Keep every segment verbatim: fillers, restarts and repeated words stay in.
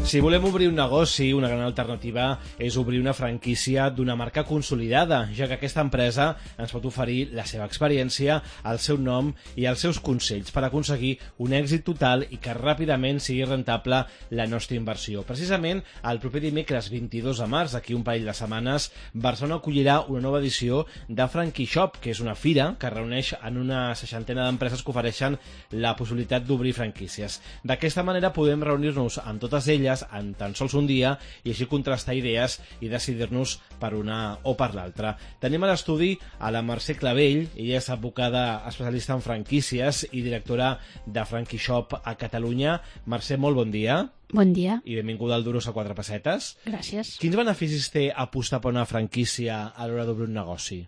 Si volem obrir un negoci, una gran alternativa és obrir una franquícia d'una marca consolidada, ja que aquesta empresa ens pot oferir la seva experiència, el seu nom i els seus consells per aconseguir un èxit total i que ràpidament sigui rentable la nostra inversió. Precisament, el proper dimecres vint-i-dos de març, d'aquí un parell de setmanes, Barcelona acollirà una nova edició de Frankie Shop, que és una fira que reuneix en una seixantena d'empreses que ofereixen la possibilitat d'obrir franquícies. D'aquesta manera podem reunir-nos amb totes elles en tan sols un dia i així contrastar idees i decidir-nos per una o per l'altra. Tenim a l'estudi a la Mercè Clavell, ella és advocada especialista en franquícies i directora de Frankie Shop a Catalunya. Mercè, molt bon dia. Bon dia. I benvinguda al Duros a quatre pessetes. Gràcies. Quins beneficis té apostar per una franquícia a l'hora d'obrir un negoci?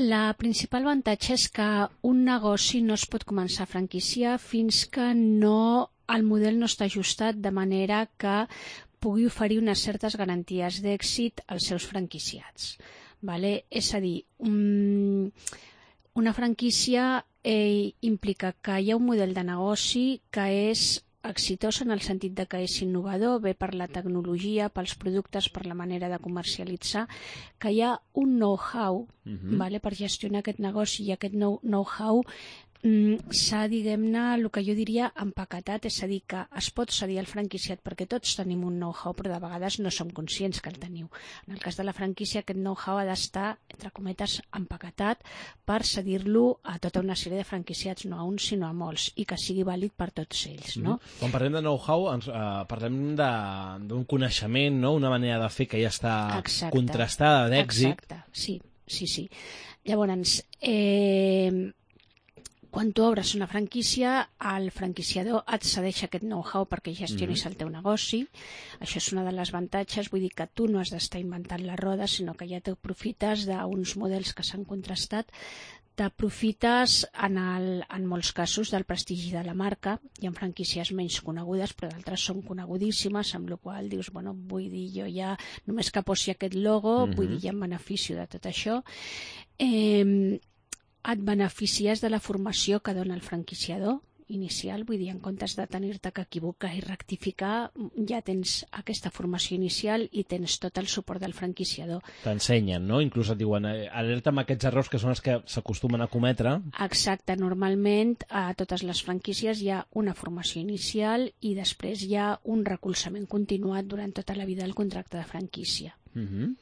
La principal avantatge és que un negoci no es pot començar a franquiciar fins que no el model no està ajustat de manera que pugui oferir unes certes garanties d'èxit als seus franquiciats. Vale? És a dir, un, una franquícia eh, implica que hi ha un model de negoci que és exitós en el sentit de que és innovador, bé per la tecnologia, pels productes, per la manera de comercialitzar, que hi ha un know-how uh-huh. vale, per gestionar aquest negoci i aquest know-how mm, s'ha, diguem-ne, el que jo diria empaquetat, és a dir, que es pot cedir al franquiciat perquè tots tenim un know-how, però de vegades no som conscients que el teniu. En el cas de la franquícia, aquest know-how ha d'estar, entre cometes, empaquetat per cedir-lo a tota una sèrie de franquiciats, no a un, sinó a molts, i que sigui vàlid per tots ells. No? Mm-hmm. Quan parlem de know-how, ens, eh, parlem d'un coneixement, no? Una manera de fer que ja està Exacte. Contrastada, d'èxit. Exacte, sí, sí, sí. Llavors, eh, quan tu obres una franquícia, el franquiciador et cedeix aquest know-how perquè gestionis el teu negoci. Això és una de les avantatges, vull dir que tu no has d'estar inventant la roda, sinó que ja t'aprofites d'uns models que s'han contrastat, t'aprofites en, el, en molts casos del prestigi de la marca. Hi ha franquícies menys conegudes, però d'altres són conegudíssimes, amb la qual cosa dius, bueno, vull dir, jo ja només que posi aquest logo, uh-huh. vull dir, ja en beneficio de tot això. Eh, et beneficies de la formació que dona el franquiciador inicial, vull dir, en comptes de tenir-te que equivocar i rectificar, ja tens aquesta formació inicial i tens tot el suport del franquiciador. T'ensenyen, no? Inclús et diuen, alerta amb aquests errors que són els que s'acostumen a cometre. Exacte, normalment a totes les franquícies hi ha una formació inicial i després hi ha un recolzament continuat durant tota la vida del contracte de franquícia. Mhm.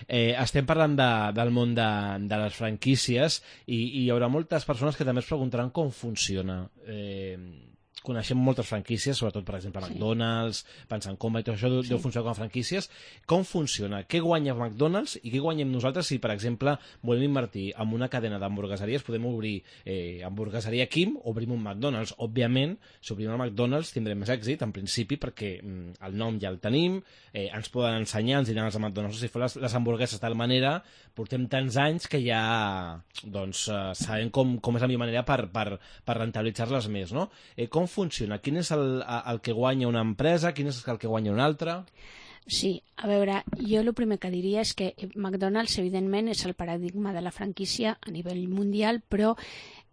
Eh, estem parlant de, del món de, de les franquícies i, i hi haurà moltes persones que també es preguntaran com funciona. Eh, coneixem moltes franquícies, sobretot, per exemple, sí. McDonald's, pensant com i tot això deu sí. funcionar com a franquícies. Com funciona? Què guanya McDonald's i què guanyem nosaltres si, per exemple, volem invertir en una cadena d'hamburgueseries? Podem obrir eh, hamburgueseria Kim, obrim un McDonald's. Òbviament, si obrim el McDonald's tindrem més èxit, en principi, perquè mm, el nom ja el tenim, eh, ens poden ensenyar, ens diran els McDonald's, si fa les, les hamburgueses de tal manera, portem tants anys que ja doncs, eh, sabem com, com és la millor manera per, per, per rentabilitzar-les més, no? Eh, com funciona? Quin és el, el que guanya una empresa? Quin és el que guanya una altra? Sí, a veure, jo el primer que diria és que McDonald's, evidentment, és el paradigma de la franquícia a nivell mundial, però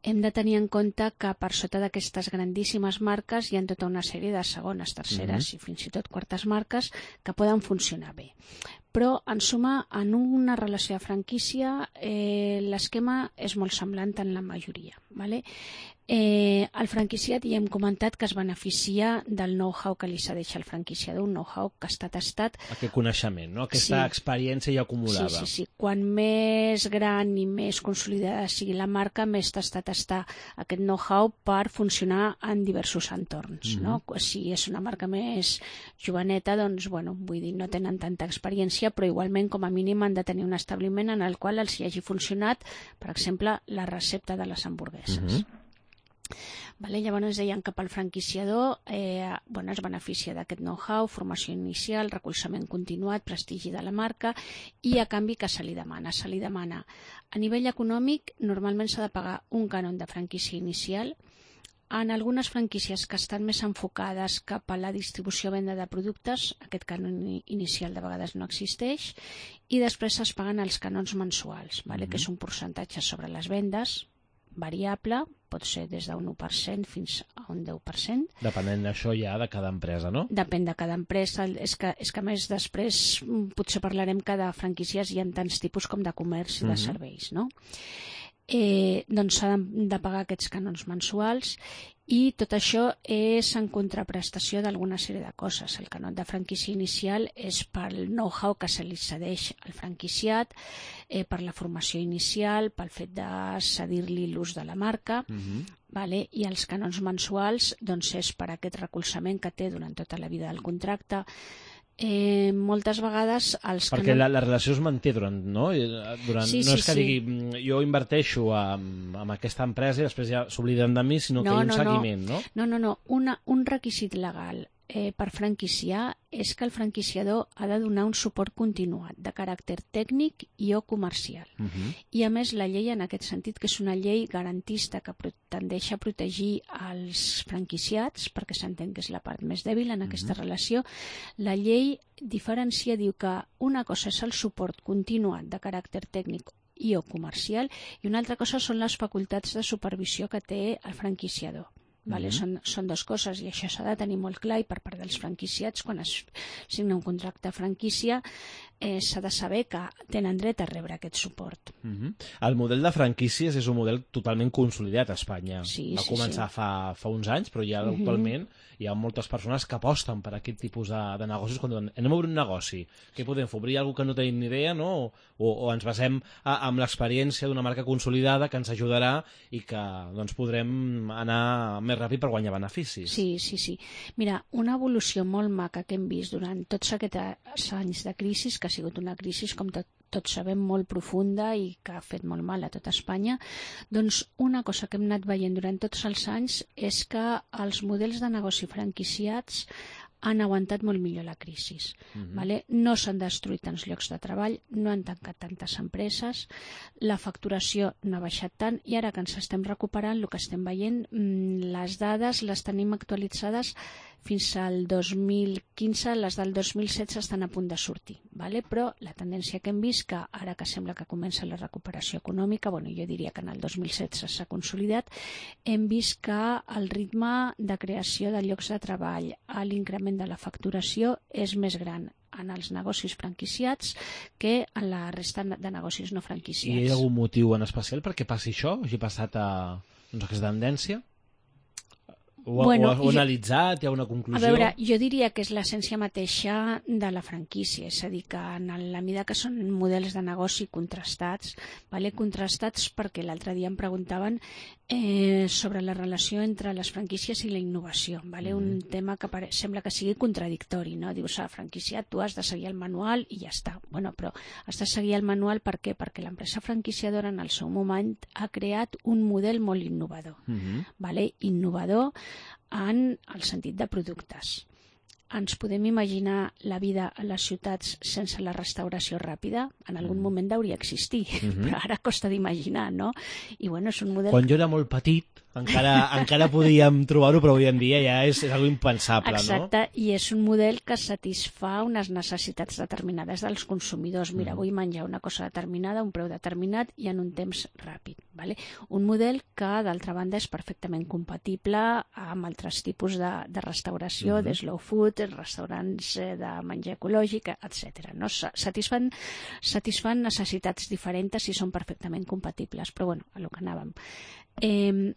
hem de tenir en compte que per sota d'aquestes grandíssimes marques hi ha tota una sèrie de segones, terceres mm-hmm. i fins i tot quartes marques que poden funcionar bé. Però, en suma, en una relació de franquícia, eh, l'esquema és molt semblant en la majoria. Vale? Eh, el franquiciat ja hem comentat que es beneficia del know-how que li cedeix al franquiciador, un know-how que està tastat. Aquest coneixement, no? Aquesta sí. experiència ja acumulada. Sí, sí, sí. Quan més gran i més consolidada sigui la marca, més tastat està aquest know-how per funcionar en diversos entorns. Mm-hmm. No? Si és una marca més joveneta, doncs, bueno, vull dir, no tenen tanta experiència, però igualment, com a mínim, han de tenir un establiment en el qual els hi hagi funcionat, per exemple, la recepta de les hamburgueses. Mm-hmm. Vale, llavors deien que pel franquiciador eh, bueno, es beneficia d'aquest know-how, formació inicial, recolzament continuat, prestigi de la marca i a canvi que se li demana? Se li demana a nivell econòmic, normalment s'ha de pagar un cànon de franquícia inicial. En algunes franquícies que estan més enfocades cap a la distribució o venda de productes, aquest cànon inicial de vegades no existeix i després es paguen els cànons mensuals, vale? Mm-hmm. que és un percentatge sobre les vendes. variable, pot ser des d'un u per cent fins a un deu per cent. Depenent d'això ja de cada empresa, no? Depèn de cada empresa. És que, és que a més després potser parlarem que de franquícies hi ha tants tipus com de comerç i de uh-huh. serveis, no? Eh, doncs s'ha de, de pagar aquests cànons mensuals i tot això és en contraprestació d'alguna sèrie de coses. El canó de franquícia inicial és pel know-how que se li cedeix al franquiciat, eh, per la formació inicial, pel fet de cedir-li l'ús de la marca, uh-huh. vale? I els canons mensuals doncs, és per aquest recolzament que té durant tota la vida del contracte. Eh, moltes vegades els perquè canons... la, la relació es manté durant, no? Durant, sí, no sí, és que sí. digui jo inverteixo amb, amb aquesta empresa i després ja s'obliden de mi, sinó no, que hi ha un no, seguiment, no? No, no, no. Una, un requisit legal eh, per franquiciar és que el franquiciador ha de donar un suport continuat de caràcter tècnic i o comercial. Uh-huh. I a més la llei en aquest sentit, que és una llei garantista que tendeix a protegir els franquiciats, perquè s'entén que és la part més dèbil en aquesta uh-huh. relació, la llei diferencia, diu que una cosa és el suport continuat de caràcter tècnic i o comercial i una altra cosa són les facultats de supervisió que té el franquiciador. Vale? Mm-hmm. Són, són dues coses i això s'ha de tenir molt clar i per part dels franquiciats quan es signa un contracte de franquícia eh, s'ha de saber que tenen dret a rebre aquest suport. Mm-hmm. El model de franquícies és un model totalment consolidat a Espanya. Sí, Va sí, començar sí. Fa, fa uns anys, però ja mm-hmm. actualment hi ha moltes persones que aposten per aquest tipus de, de negocis quan diuen, anem a obrir un negoci, què podem fer? Obrir alguna que no tenim ni idea, no? O, o ens basem a, amb l'experiència d'una marca consolidada que ens ajudarà i que doncs, podrem anar més ràpid per guanyar beneficis. Sí, sí, sí. Mira, una evolució molt maca que hem vist durant tots aquests anys de crisi, que ha sigut una crisi, com tot, tots sabem, molt profunda i que ha fet molt mal a tota Espanya, doncs una cosa que hem anat veient durant tots els anys és que els models de negoci franquiciats han aguantat molt millor la crisi. Uh-huh. Vale? No s'han destruït tants llocs de treball, no han tancat tantes empreses, la facturació no ha baixat tant i ara que ens estem recuperant, el que estem veient, les dades les tenim actualitzades fins al dos mil quinze, les del dos mil setze estan a punt de sortir. Vale? Però la tendència que hem vist, que ara que sembla que comença la recuperació econòmica, bueno, jo diria que en el dos mil setze s'ha consolidat, hem vist que el ritme de creació de llocs de treball, l'increment de la facturació és més gran en els negocis franquiciats que en la resta de negocis no franquiciats. I hi ha algun motiu en especial perquè passi això? Hagi passat a doncs, aquesta tendència? Ho, bueno, ho, ho ha analitzat? Hi ha una conclusió? A veure, jo diria que és l'essència mateixa de la franquícia, és a dir, que en la mida que són models de negoci contrastats, vale? Contrastats perquè l'altre dia em preguntaven eh, sobre la relació entre les franquícies i la innovació, vale? Mm. Un tema que pare... sembla que sigui contradictori, no? Dius, ah, franquiciat, tu has de seguir el manual i ja està. Bueno, però has de seguir el manual per què? Perquè l'empresa franquiciadora en el seu moment ha creat un model molt innovador, mm-hmm. vale? Innovador en el sentit de productes. Ens podem imaginar la vida a les ciutats sense la restauració ràpida? En algun moment hauria d'existir, mm-hmm. però ara costa d'imaginar, no? I bueno, és un model... Quan jo era molt petit, encara, encara podíem trobar-ho, però avui en dia ja és, és algo impensable, Exacte, no? Exacte, i és un model que satisfà unes necessitats determinades dels consumidors. Mira, mm. vull menjar una cosa determinada, un preu determinat i en un temps ràpid. Vale? Un model que, d'altra banda, és perfectament compatible amb altres tipus de, de restauració, mm-hmm. de slow food, restaurants de menjar ecològic, etcètera. No? Satisfan, satisfan necessitats diferents i són perfectament compatibles. Però, bueno, a lo que anàvem. Eh,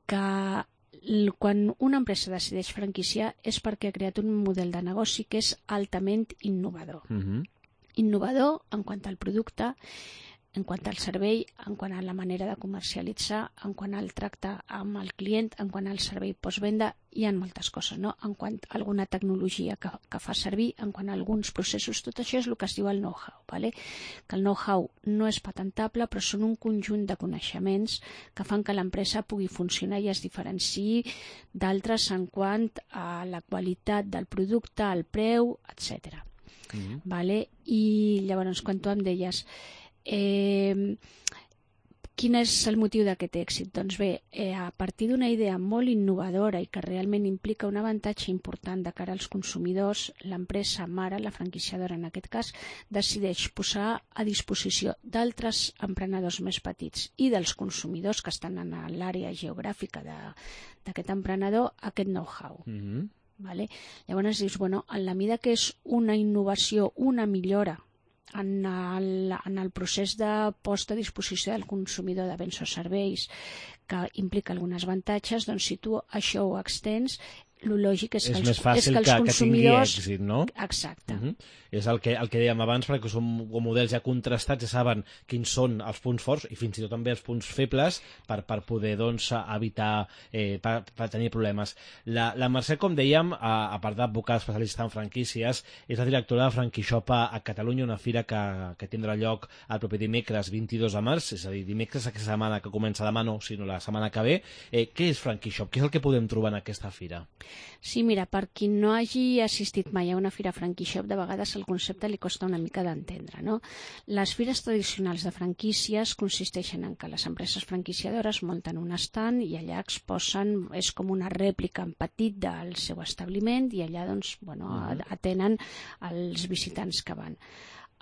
que quan una empresa decideix franquiciar és perquè ha creat un model de negoci que és altament innovador. Mm-hmm. Innovador en quant al producte, en quant al servei, en quant a la manera de comercialitzar, en quant al tracte amb el client, en quant al servei postvenda, hi ha moltes coses, no? En quant a alguna tecnologia que, que fa servir, en quant a alguns processos, tot això és el que es diu el know-how, ¿vale? Que el know-how no és patentable, però són un conjunt de coneixements que fan que l'empresa pugui funcionar i es diferenciï d'altres en quant a la qualitat del producte, el preu, etcètera. Mm-hmm. Vale? I llavors, quan tu em deies Eh, quin és el motiu d'aquest èxit? Doncs bé, eh, a partir d'una idea molt innovadora i que realment implica un avantatge important de cara als consumidors, l'empresa mare, la franquiciadora en aquest cas, decideix posar a disposició d'altres emprenedors més petits i dels consumidors que estan en l'àrea geogràfica d'aquest emprenedor aquest know-how. Mm-hmm. Vale? Llavors dius, bueno, en la mida que és una innovació, una millora en el, en el procés de posta a disposició del consumidor de béns o serveis que implica alguns avantatges, doncs si tu això ho extens, el lògic és que, és els, més fàcil és que els que, consumidors... que tingui èxit, no? Exacte. Uh-huh. És el que, el que dèiem abans, perquè són models ja contrastats, ja saben quins són els punts forts i fins i tot també els punts febles per, per poder doncs, evitar, eh, per, per tenir problemes. La, la Mercè, com dèiem, a, a part d'advocar especialista en franquícies, és la directora de FranquiShop a, a Catalunya, una fira que, que tindrà lloc el proper dimecres vint-i-dos de març, és a dir, dimecres aquesta setmana que comença demà, no, sinó la setmana que ve. Eh, què és FranquiShop? Què és el que podem trobar en aquesta fira? Sí, mira, per qui no hagi assistit mai a una fira FranquiShop, de vegades el concepte li costa una mica d'entendre, no? Les fires tradicionals de franquícies consisteixen en que les empreses franquiciadores munten un estand i allà exposen, és com una rèplica en petit del seu establiment i allà doncs, bueno, uh-huh. atenen els visitants que van.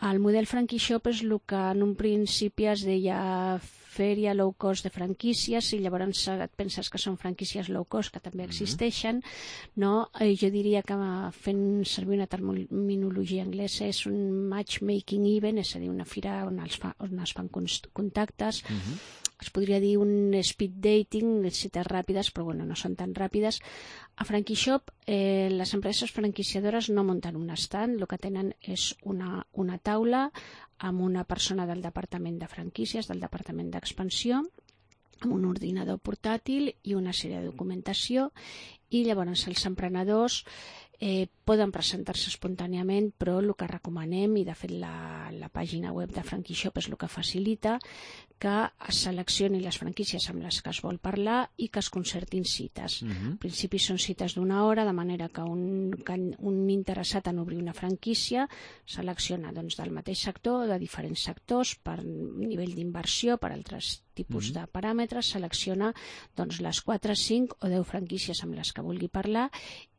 El model FranquiShop és el que en un principi es deia fèria low cost de franquícies i llavors et penses que són franquícies low cost que també existeixen, no? Jo diria que fent servir una terminologia anglesa és un matchmaking event, és a dir, una fira on es, fa, on es fan contactes. Uh-huh. Es podria dir un speed dating, cites ràpides, però bueno, no són tan ràpides. A FranquiShop, eh, les empreses franquiciadores no munten un stand, el que tenen és una, una taula amb una persona del departament de franquícies, del departament d'expansió, amb un ordinador portàtil i una sèrie de documentació, i llavors els emprenedors eh, poden presentar-se espontàniament, però el que recomanem, i de fet la, la pàgina web de FranquiShop és el que facilita, que es seleccioni les franquícies amb les que es vol parlar i que es concertin cites. Uh-huh. En principi són cites d'una hora, de manera que un, que un interessat en obrir una franquícia selecciona doncs, del mateix sector, de diferents sectors, per nivell d'inversió, per altres tipus uh-huh. de paràmetres, selecciona doncs, les quatre, cinc o deu franquícies amb les que vulgui parlar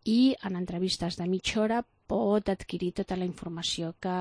i en entrevistes de mitja hora pot adquirir tota la informació que,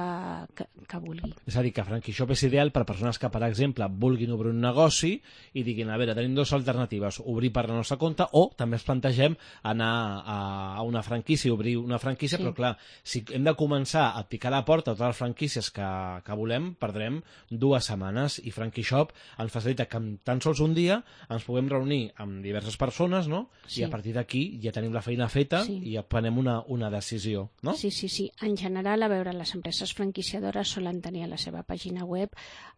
que, que vulgui. És a dir, que FranquiShop és ideal per persones que, per exemple, vulguin obrir un negoci i diguin, a veure, tenim dues alternatives, obrir per la nostra compte o també ens plantegem anar a, a una franquícia, obrir una franquícia, sí. Però clar, si hem de començar a picar la porta a totes les franquícies que, que volem, perdrem dues setmanes i FranquiShop ens facilita que en tan sols un dia ens puguem reunir amb diverses persones, no? Sí. I a partir d'aquí ja tenim la feina feta sí. I ja prenem una, una decisió, no? Sí, sí, sí. En general, a veure, les empreses franquiciadores solen tenir a la seva pàgina web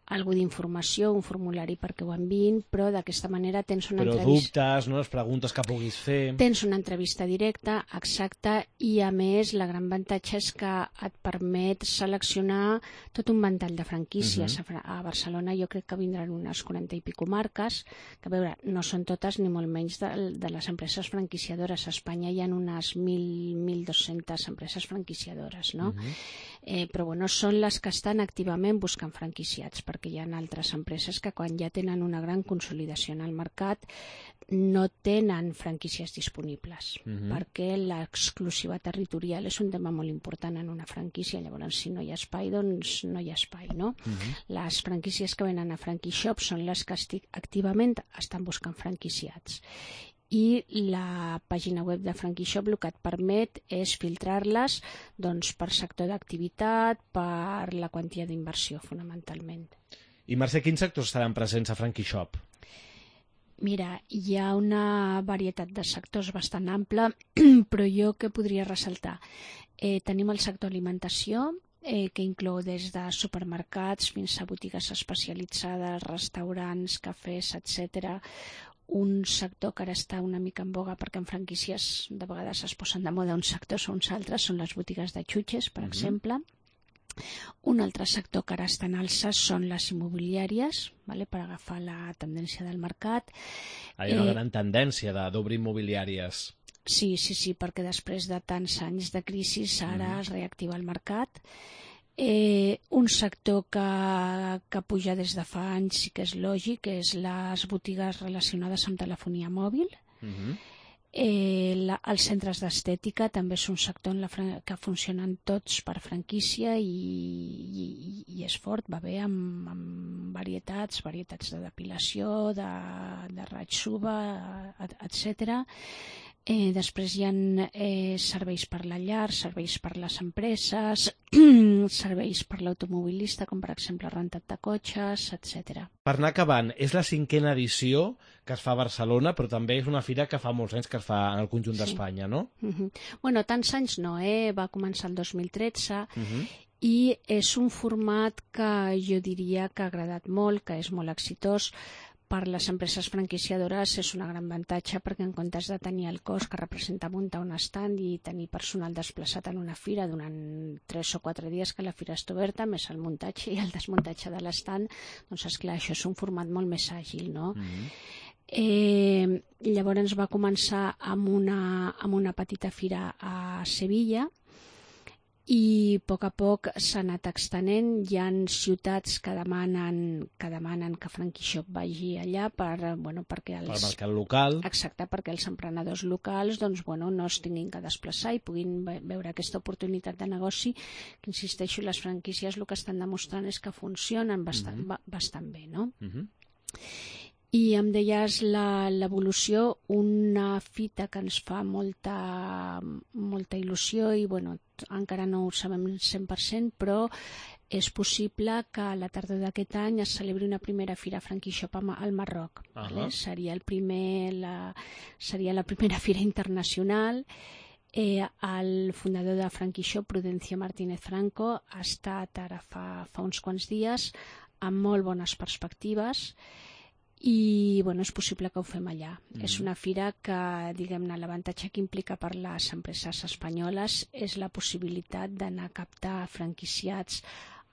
algú d'informació, un formulari perquè ho enviïn, però d'aquesta manera tens una però entrevista... Però dubtes, no? Les preguntes que puguis fer... Tens una entrevista directa, exacta, i a més la gran avantatge és que et permet seleccionar tot un ventall de franquícies. Uh-huh. A Barcelona jo crec que vindran unes quaranta i pico marques, que a veure, no són totes ni molt menys de, de les empreses franquiciadores. A Espanya hi ha unes mil, mil dos-centes empreses franquiciadores, no? Uh-huh. eh, però bueno, són les que estan activament buscant franquiciats, perquè hi ha altres empreses que quan ja tenen una gran consolidació en el mercat no tenen franquícies disponibles, uh-huh. perquè l'exclusiva territorial és un tema molt important en una franquícia. Llavors, si no hi ha espai, doncs no hi ha espai, no? Uh-huh. Les franquícies que venen a FranquiShop són les que activament estan buscant franquiciats. I la pàgina web de FranquiShop el que et permet és filtrar-les doncs, per sector d'activitat, per la quantia d'inversió, fonamentalment. I Mercè, quins sectors estaran presents a FranquiShop? Mira, hi ha una varietat de sectors bastant ampla, però jo què podria ressaltar? Eh, tenim el sector alimentació, eh, que inclou des de supermercats fins a botigues especialitzades, restaurants, cafès, etcètera. Un sector que ara està una mica en boga perquè en franquícies de vegades es posen de moda uns sectors o uns altres, són les botigues de xutxes, per uh-huh. exemple. Un altre sector que ara està en alça són les immobiliàries, vale, per agafar la tendència del mercat. Hi ha una eh, gran tendència d'obrir immobiliàries. Sí, sí, sí, perquè després de tants anys de crisi ara uh-huh. es reactiva el mercat. Eh, un sector que, que puja des de fa anys sí que és lògic, és les botigues relacionades amb telefonia mòbil. Uh-huh. Eh, la, els centres d'estètica també és un sector en la, que funcionen tots per franquícia i, i, i és fort, va bé amb, amb varietats, varietats de depilació, de, de raig suba, etcètera. Eh, després hi ha eh, serveis per la llar, serveis per les empreses, serveis per l'automobilista, com per exemple rentat de cotxes, etcètera. Per anar acabant, és la cinquena edició que es fa a Barcelona, però també és una fira que fa molts anys que es fa en el conjunt sí. d'Espanya, no? Uh-huh. Bueno, tants anys no, eh? Va començar el dos mil tretze uh-huh. i és un format que jo diria que ha agradat molt, que és molt exitós. Per les empreses franquiciadores és un gran avantatge perquè en comptes de tenir el cost que representa muntar un estand i tenir personal desplaçat en una fira durant tres o quatre dies que la fira està oberta, més el muntatge i el desmuntatge de l'estand, doncs esclar, això és un format molt més àgil, no? Mm-hmm. Eh, llavors va començar amb una, amb una petita fira a Sevilla i a poc a poc s'ha anat extenent. Hi ha ciutats que demanen que demanen que FranquiShop vagi allà per, bueno, perquè els... Per mercat local. Exacte, perquè els emprenedors locals doncs, bueno, no es tinguin que desplaçar i puguin veure aquesta oportunitat de negoci, que insisteixo, les franquícies el que estan demostrant és que funcionen bastant, uh-huh. bastant bé, no? Uh-huh. I em deies l'evolució, una fita que ens fa molta, molta il·lusió i bueno, encara no ho sabem cent per cent, però és possible que a la tardor d'aquest any es celebri una primera fira FranquiShop al Marroc. Uh-huh. Vale? Seria, el primer, la, seria la primera fira internacional. Eh, el fundador de FranquiShop, Prudencio Martínez Franco, ha estat ara fa, fa uns quants dies amb molt bones perspectives i bueno, és possible que ho fem allà. Mm. És una fira que, diguem-ne, l'avantatge que implica per les empreses espanyoles és la possibilitat d'anar a captar franquiciats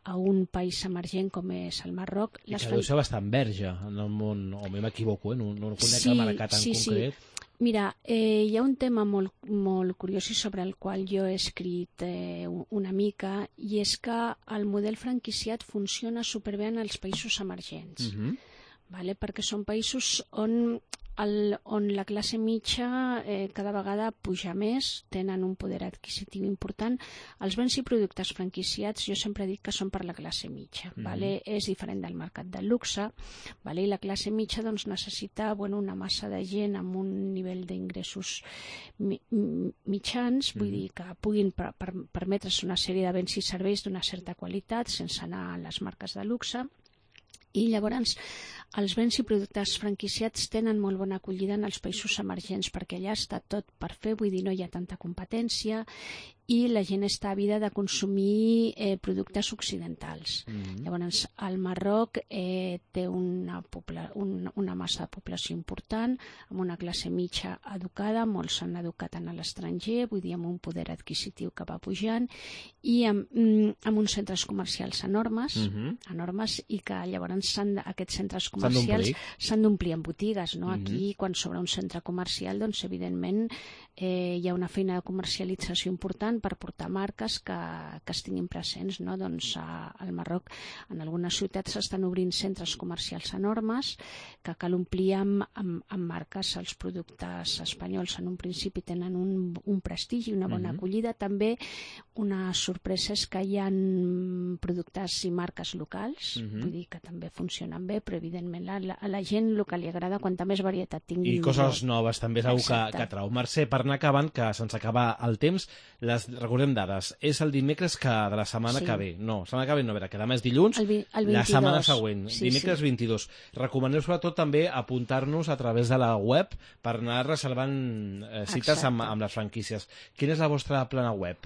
a un país emergent com és el Marroc. I que deu ser bastant verge en el món, o m'equivoco, eh? no, no conec sí, el mercat en sí, concret. Sí. Mira, eh, hi ha un tema molt, molt curiós i sobre el qual jo he escrit eh, una mica, i és que el model franquiciat funciona superbé en els països emergents. Mm-hmm. Vale? Perquè són països on, el, on la classe mitja eh, cada vegada puja més, tenen un poder adquisitiu important. Els béns i productes franquiciats jo sempre dic que són per la classe mitja. Mm-hmm. Vale? És diferent del mercat del luxe, vale? I la classe mitja doncs, necessita bueno, una massa de gent amb un nivell d'ingressos mi, mitjans, mm-hmm. vull dir que puguin per, per, permetre's una sèrie de béns i serveis d'una certa qualitat sense anar a les marques de luxe. I llavors els béns i productes franquiciats tenen molt bona acollida en els països emergents perquè allà està tot per fer, vull dir, no hi ha tanta competència i la gent està àvida de consumir eh, productes occidentals. Mm-hmm. Llavors, el Marroc eh, té una, pobla, un, una massa de població important, amb una classe mitja educada, molts s'han educat en l'estranger, vull dir, amb un poder adquisitiu que va pujant, i amb, amb uns centres comercials enormes, mm-hmm. enormes i que llavors s'han, aquests centres comercials s'han d'omplir amb botigues. No? Mm-hmm. Aquí, quan s'obre un centre comercial, doncs, evidentment, eh, hi ha una feina de comercialització important per portar marques que, que estiguin presents, no? Doncs a, al Marroc en algunes ciutats s'estan obrint centres comercials enormes que cal omplir amb, amb, amb marques. Els productes espanyols en un principi tenen un, un prestigi, una bona mm-hmm. acollida. També una sorpresa és que hi ha productes i marques locals, mm-hmm. vull dir que també funcionen bé, però evidentment la, la, a la gent el que li agrada quanta més varietat tingui. I coses noves també és una que, que trau. Mercè, per anar acabant, que se'ns acaba el temps, les recordem dades. És el dimecres que de la setmana sí. que ve. No, la setmana que ve no, a veure, que demà és dilluns, el vi, el la setmana següent, sí, dimecres sí. vint-i-dos. Recomaneu sobretot també apuntar-nos a través de la web per anar reservant eh, cites amb, amb les franquícies. Quina és la vostra plana web?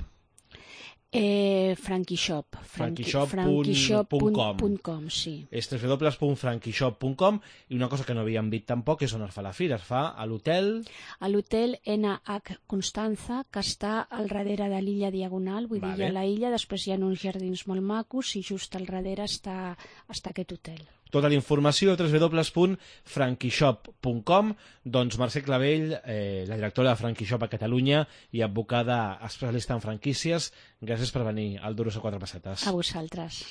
Eh, FranquiShop FranquiShop punt com sí. És w w w punt franquishop punt com. I una cosa que no havíem dit tampoc és on es fa la fira. Es fa a l'hotel a l'hotel N H Constanza, que està al darrere de l'illa Diagonal, vull vale. dir, hi ha la illa, després hi ha uns jardins molt macos i just al darrere està, està aquest hotel. Tota la informació a w w w punt franquishop punt com. Doncs Mercè Clavell, eh, la directora de Franquishop a Catalunya i advocada especialista en franquícies, gràcies per venir al Duros a quatre pessetes. A vosaltres.